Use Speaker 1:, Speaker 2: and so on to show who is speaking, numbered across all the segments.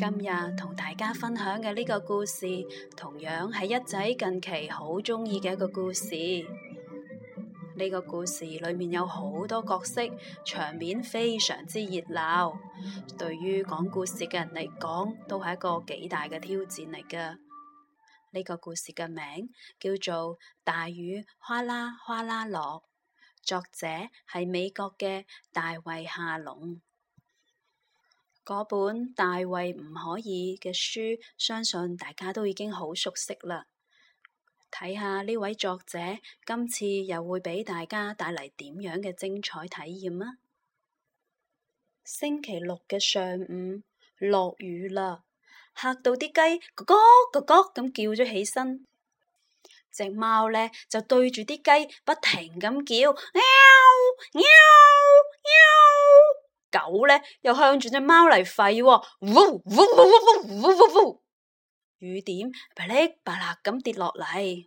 Speaker 1: 今日同大家分享嘅呢個故事，同樣係一仔近期好鍾意嘅一個故事。呢個故事裏面有好多角色，場面非常之熱鬧。對於講故事嘅人嚟講，都係一個幾大嘅挑戰嚟㗎。呢個故事嘅名叫做《大雨嘩啦嘩啦落》，作者係美國嘅大衛夏隆。嗰本《大衛唔可以》嘅書，相信大家都已經好熟悉啦。睇下呢位作者今次又會俾大家帶嚟點樣嘅精彩體驗啊！星期六嘅上午落雨啦，嚇到啲雞咯咯咯咯咁叫咗起身。隻貓呢就對住啲雞不停咁叫，喵喵喵。狗呢又向住隻貓嚟吠，嗚嗚嗚嗚嗚嗚嗚。雨點噼哩啪啦咁跌落嚟，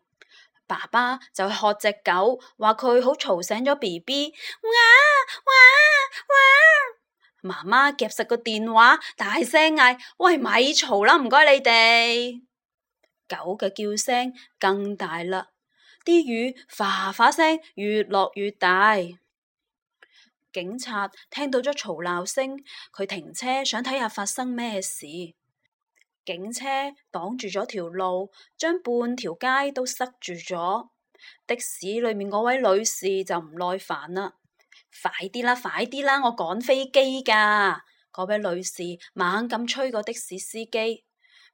Speaker 1: 爸爸就喝隻狗，話佢好嘈醒咗 BB， 哇哇哇！媽媽夾實個電話，大聲嗌：喂，咪嘈啦，唔該你哋！狗嘅叫聲更大啦，啲雨嘩嘩聲越落越大。警察聽到咗嘈鬧聲，佢停車想睇下發生咩事。警車擋住咗條路，將半條街都塞住咗。的士裏面嗰位女士就唔耐煩啦，快啲啦，快啲啦，我趕飛機㗎！嗰位女士猛咁催個的士司機，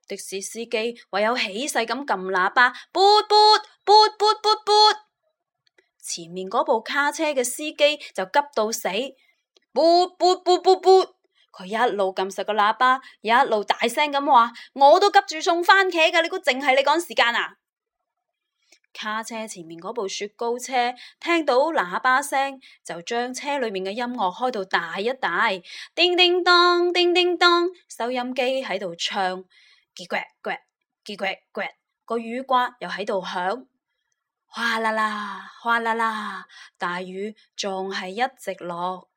Speaker 1: 的士司機唯有起勢咁撳喇叭，噗噗噗噗噗噗。前面嗰部卡車嘅司機就急到死，噗噗噗噗噗。佢一路撳實個喇叭，一路大聲咁話：我都急住送番茄㗎，你估淨係你趕時間啊？卡車前面嗰部雪糕車聽到喇叭聲，就將車裏面嘅音樂開到大一大，叮叮當，叮叮當，收音機喺度唱，嘰呱呱，嘰呱呱，個雨刮又喺度響。嘩啦啦，嘩啦啦，大雨仲係一直落。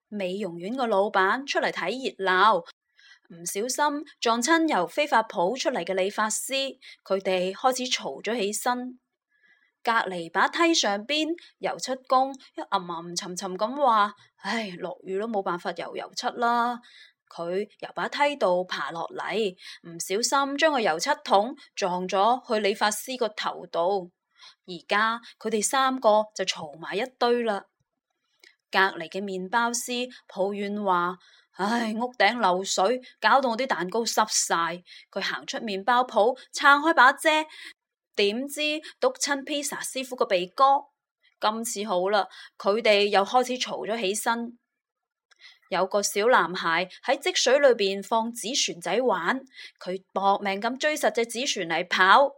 Speaker 1: 美容院個老闆出嚟睇熱鬧，唔小心撞親由飛髮鋪出嚟嘅理髮師，佢哋開始嘈咗起身。隔籬把梯上邊，油漆工一吟沉沉咁話：唉，落雨都冇辦法油油漆啦。佢由把梯度爬落嚟，唔小心將個油漆桶撞咗去理髮師個頭度。而家佢哋三個就嘈埋一堆啦。隔籬嘅麵包師抱怨話：唉，屋頂漏水，搞到我啲蛋糕濕晒。佢行出麵包鋪，撐開把遮，點知篤親披薩師傅個鼻哥。今次好啦，佢哋又開始嘈咗起身。有個小男孩喺積水裏邊放紙船仔玩，佢搏命咁追實隻紙船嚟跑。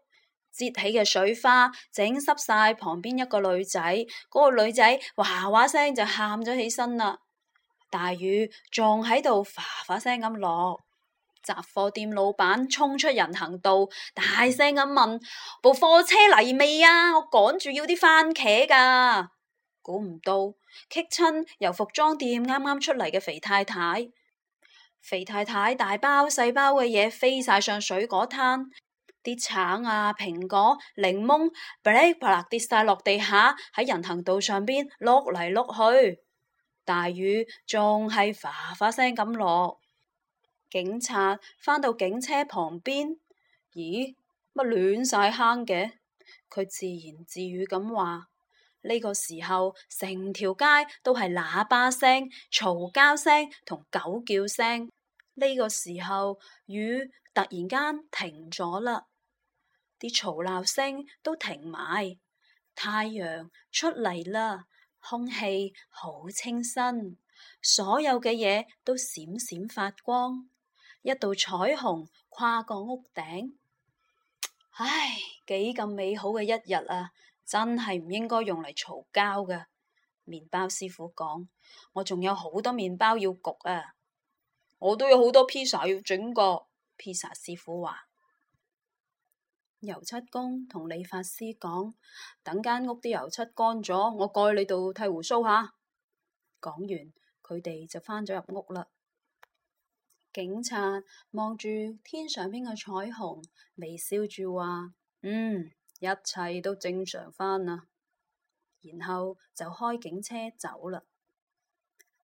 Speaker 1: 摺起嘅水花整濕晒旁邊一個女仔，嗰個女仔嘩嘩聲就喊咗起身啦。大雨仲喺度嘩嘩聲咁落，雜貨店老闆衝出人行道，大聲咁問：部貨車嚟未啊？我趕住要啲番茄㗎。估唔到棘親由服裝店啱啱出嚟嘅肥太太，肥太太大包細包嘅嘢飛晒上水果攤。啲橙啊、蘋果、檸檬，噼哩啪啦跌晒落地下，喺人行道上邊碌嚟碌去。大雨仲係嘩嘩聲咁落。警察返到警車旁邊，咦，乜亂晒坑嘅？佢自言自語咁話：呢個時候成條街都係喇叭聲、嘈交聲同狗叫聲。呢個時候雨突然間停咗啦。啲嘈鬧聲都停埋，太陽出嚟啦，空氣好清新，所有嘅嘢都閃閃發光，一道彩虹跨過屋頂。唉，幾咁美好嘅一日啊，真係唔應該用嚟嘈交㗎。麵包師傅講：我仲有好多麵包要焗啊，我都有好多披薩要整個。披薩師傅話。油漆工同理髮師講：等間屋啲油漆乾咗，我過去你度剃鬍鬚下。講完，佢哋就返咗入屋啦。警察望住天上邊嘅彩虹，微笑住話：一切都正常返啦。然後就開警車走啦。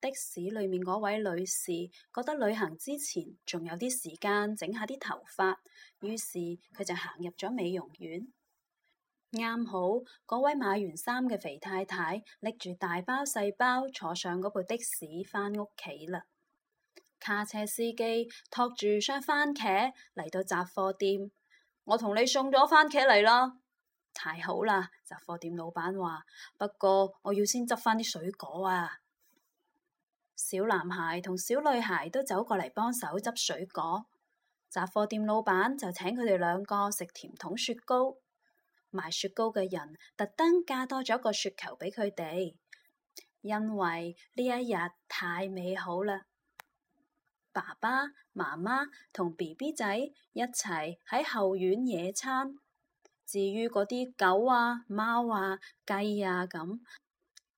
Speaker 1: 的士裏面嗰位女士覺得旅行之前仲有啲時間整下啲頭髮，於是佢就行入咗美容院。啱好嗰位買完衫嘅肥太太拎住大包細包坐上嗰部的士返屋企啦。卡車司機托住箱番茄嚟到雜貨店，我同你送咗番茄嚟啦。太好啦！雜貨店老闆話，不過我要先執返啲水果啊。小男孩同小女孩都走過嚟幫手執水果，雜貨店老闆就請佢哋兩個食甜筒雪糕。賣雪糕嘅人特登加多咗個雪球俾佢哋，因為呢一日太美好啦。爸爸媽媽同 BB 仔一齊喺後院野餐，至於嗰啲狗啊、貓啊、雞啊咁，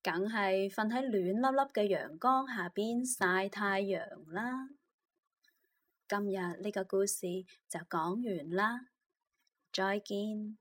Speaker 1: 梗係瞓喺暖粒粒嘅陽光下邊曬太陽啦。今日呢個故事就講完啦，再見。